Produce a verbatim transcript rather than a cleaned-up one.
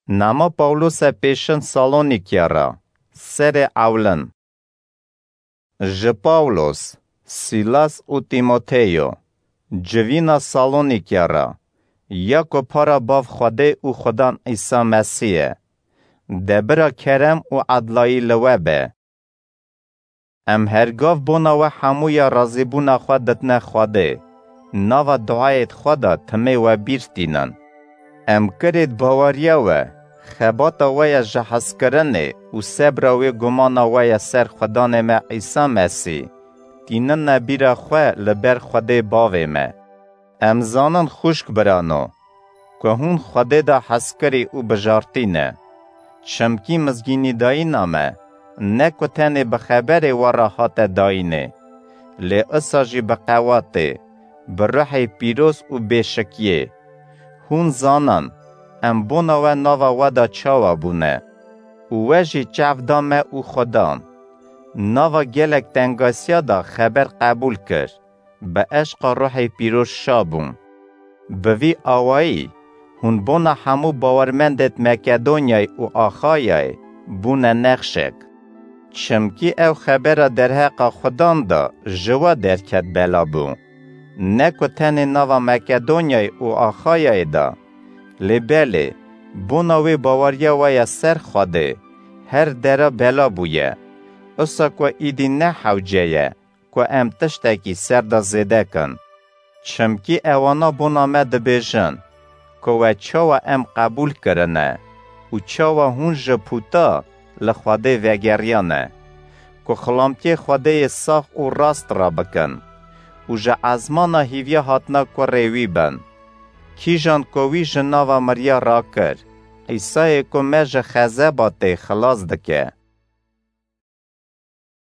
Nama Pawlose pêşin Salonîkya re, serê ewlin. Ji Pawlos, Sîlas û Tîmoteyo, civîna Salonîkya re, ya ku para Bav Xwedê û Xudan Îsa Mesîh ye. Debira kerem û edlayî li we be. Em hergav bona we hemûya razîbûna xwe ditine Xwedê, nava duayêd xwe de timê we bîr tînin. Em kirêd baweriya we, xebata we ya ji hezkirinê û sebra wê gumana we ya ser Xudanê me Îsa Mesîh, tînine bîra xwe li ber Xwedê Bavê me. Em zanin xwişk birano, ku hûn Xwedê de hezkirî û bijartî ne. Çimkî mizgînîdayîna me, ne ku tenê bi xeberê we re hate dayînê, lê isa jî bi qewatê, bi ruhê pîroz û bêşikiyê. Hûn zanin, em bona we nava we de çawa bûne û we jî çav da me û Xudan. Nava gelek tengasiya de xeber qebûl kir, bi eşqa ruhê pîroz şa bûn. Bi vî awayî, hûn bona hemû bawermendêd Makedonyayê û Axayayê bûne nexşek. Çimkî ew xebera derheqa Xudan de ji we derket bela bû. Ne ku tenê nava Makedonyayê û Axayayê de, lê belê, bona wê baweriya we ya ser Xwedê, her dera bela bûye. Isa ku îdî ne hewce ye, ku em tiştekî ser de zêde kin. Çimkî ewana bona me dibêjin, ku we çawa em qebûl kirine û çawa hûn ji pûta li Xwedê vegeriyane, ku xilamtiyê Xwedê yê sax û rast re bikin û ji ezmana hîviya hatina kurê wî bin. Kîjan ku wî ji nava miriya rakir, Îsayê ku me ji xezeba tê xilas dike.